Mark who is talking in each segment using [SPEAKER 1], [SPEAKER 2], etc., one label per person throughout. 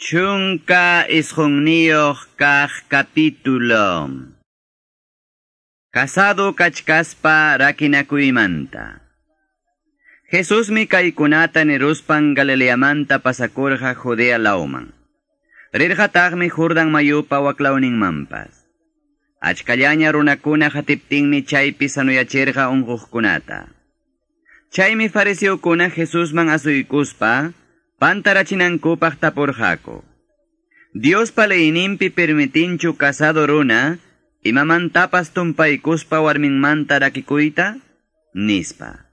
[SPEAKER 1] 19 kaq capítulo. Casado kachkaspa rakinakuymanta. Jesusmi kaykunata niruspan Galileamanta pasakurqa Judea lawman. Rirqataqmi Jordan mayupa waklawninmanpas. Achkallaña runakuna hatiptinmi chaypi sanuyachirqa unquqkunata. Chaymi fariseokuna Jesusman asuykuspa pantarachinankupaq tapurqaku. Diospa leyninpi permitinchu casado runa imamantapas tumpaykuspa warminmanta rakikuyta? Nispa.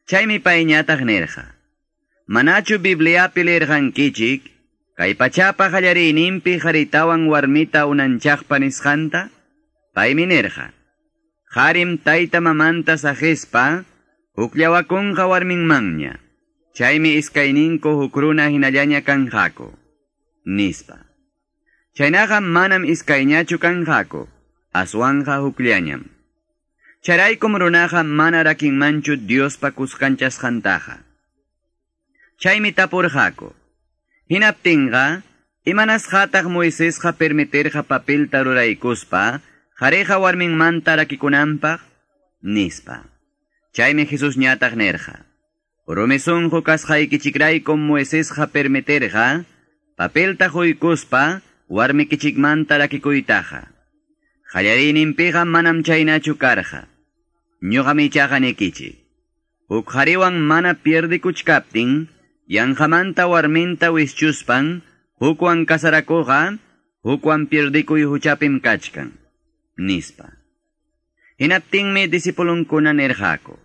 [SPEAKER 1] Chaymi payñataq nirqa. Manachu Bibliapi lirqankichik, kay pachapa qallariyninpi qharitawan warmita unanchaqpa nisqanta? Paymi nirqa. Qarim tayta mamanta saqispa, hukllawakunqa warminmanña. Chaymi iskayninku huk runa hinallaña kanqaku. Nispa. Chaynaqa manam iskayñachu kanqaku, aswanqa hukllañam. Chayraykum runaqa mana rakinmanchu Diospa kuskanchasqantaqa. Chaymi tapurqaku. Hinaptinqa, imanasqataq Moisesqa permitirqa papelta ruraykuspa, qhariqa warminmanta rakikunanpaq? Nispa. Chaymi Jesusñataq nirqa. Rumi sunqu kasqaykichikraykum Moisesqa permitirqa, papelta quykuspa, warmikichikmanta rakikuytaqa. Qallariyninpiqa manam chaynachu karqa. Ñuqam ichaqa nikichik. Huk qhariwan mana pierdikuchkaptin, yanqamanta warminta wischuspan, hukwan kasarakuqa, hukwan pierdikuy huchapim kachkan. Nispa. Hinaptinmi disipulunkuna nirqaku.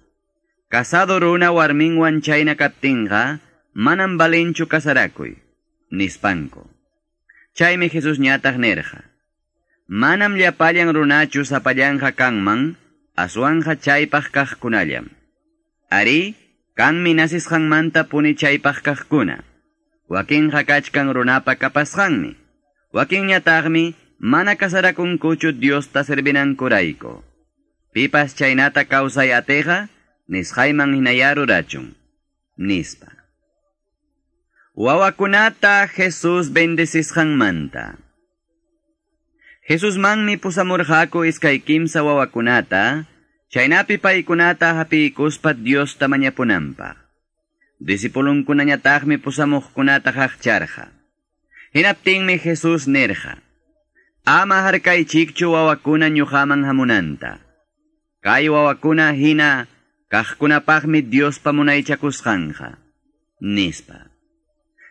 [SPEAKER 1] Casado runa warminwan chayna kaptinqa, manam balinchu kasarakuy, nispanku. Chaymi Jesusñataq nirqa. Manam llapallan runachu sapallanqa kanman, aswanqa chaypaq kaqkunallam. Ari, kanmi nasisqanmanta puni chaypaq kaqkuna. Wakinqa kachkan runapa kapasqanmi. Wakinñataqmi mana kasarakunkuchu Diosta servinankurayku. Pipas chaynata kawsay atiqa, nisqayman hinaya rurachun. Nispa. Wawakunata Jesús bendecisqanmanta. Jesusmanmi pusamurqaku iskay kimsa wawakunata, chaynapi paykunata hapiykuspa Diosta mañapunanpaq. Disipulunkunañataqmi pusamuqkunata qaqcharqa. Hinaptinmi Jesús nirqa. Ama harkaychikchu wawakuna ñuqaman hamunanta. Kay wawakuna hina kaqkunapaqmi Diospa munaychakusqanqa. Nispa.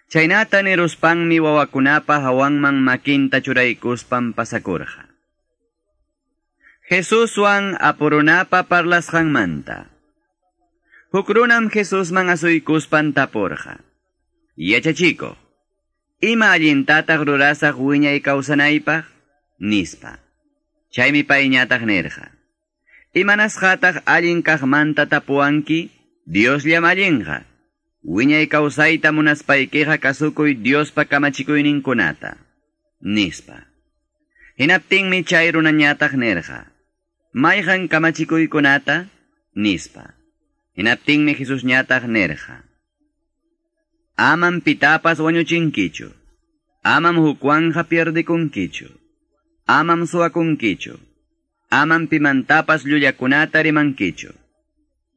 [SPEAKER 1] Chaynata niruspanmi wawakunapa hawanman makinta churaykuspan pasakurqa. Jesuswan apurunapa parlasqanmanta. Huk runam Jesusman asuykuspan tapurqa. Yachachikuq, ima allintataq rurasaq wiñay kawsanaypaq? Nispa. Chaymi payñataq nirqa. Imanasqataq allin kaqmanta tapuwanki? Diosllam allinqa. Wiñay kawsayta munaspaykiqa kasukuy Diospa kamachikuyninkunata. Nispa. Hinaptinmi chay runañataq nirqa. Mayqan kamachikuykunata? Nispa. Hinaptinmi Jesusñataq nirqa. Amam pitapas wañuchinkichu. Amam hukwanja pierdikunkichu. Amam suwakunkichu. Amam pimantapas llullakunata rimankichu.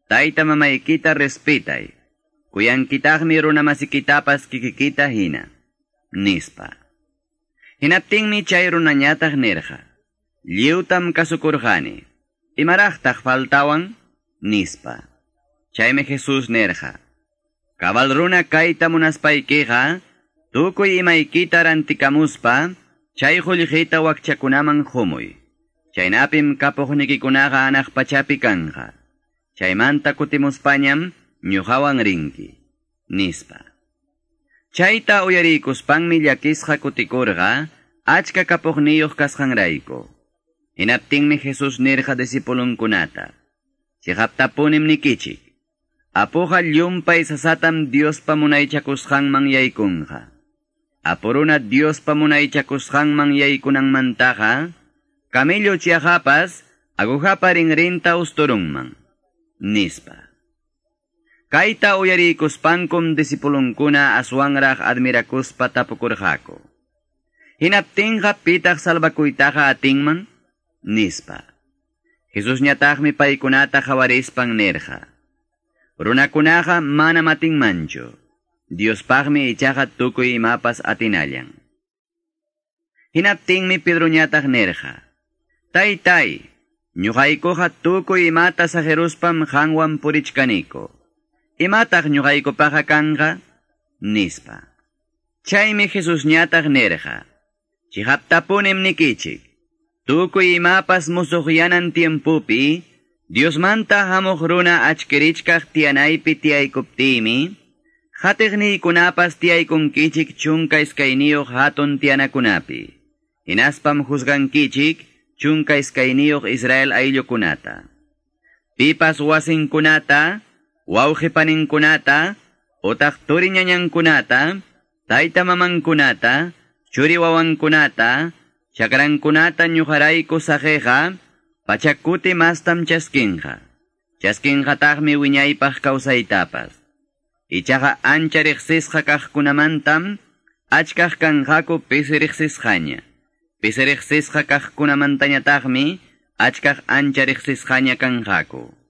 [SPEAKER 1] Tayta mamaykita respetay. Kuyankitaqmi runamasikitapas kikikita hina. Nispa. Hinaptinmi chay runañataq nirqa. Lliwtam kasukurqani. Imaraqtaq faltawan? Nispa. Chaymi Jesús nirqa. Cabal runa kayta munaspaykiqa, tukuy imaykita rantikamuspa, chay qullqita wakchakunaman qumuy. Chaynapim kapuqnikikunaqa anaq pachapi kanqa. Chaymanta kutimuspañam ñuqawan rinki. Nispa. Chayta uyariykuspanmi llakisqa kutikurqa, achka kapuqniyuq kasqanrayku. Hinaptinmi Jesús nirqa disipulunkunata. Chiqaptapunim nikichik. Apuqa llumpay sasatam Diospa munaychakusqanman yaykunqa. Apuruna Diospa munaychakusqanman yaykunanmantaqa, camello chiajapas agujapa rinrinta usturunman. Nispa. Kayta uyariykuspankum disipulunkuna aswanraq admirakuspa tapukurqaku. Hinaptinqa pitaq salvakuytaqa atinman? Nispa. Jesusñataqmi paykunata qawarispan nirqa. Runakunaqa manam atinmanchu. Diospaqmi ichaqa tukuy imapas atinallan. Hinaptinmi Pedroñataq nirqa. Taytay, ñuqaykuqa tukuy imata saqeruspam qanwan purichkaniku. Imataq ñuqaykupaqa kanqa? Nispa. Chaymi Jesusñataq nirqa. Chiqaptapunim nikichik. Tukuy imapas musuqyanan tiempupi, Diosmanta hamuq runa achkirichkaq tiyanaypi tiyaykuptiymi, qatiqniykunapas tiyaykunkichik 12 hatun tiyanakunapi. Hinaspam juzgankichik 12 Israel ayllukunata. Pipas wasinkunata, wawqipaninkunata, utaq turi ñañankunata, tayta mamankunata, churi wawankunata, chakrankunata ñuqarayku saqiqa, pachakuti mastam chaskinqa. Chaskinqataqmi wiñaypaq kawsaytapas. Ichaqa ancha riqsisqa kaqkunamantam, achkaq kanqaku pisi riqsisqaña. Pisi riqsisqa kaqkunamantañataqmi, achkaq ancha riqsisqaña kanqaku.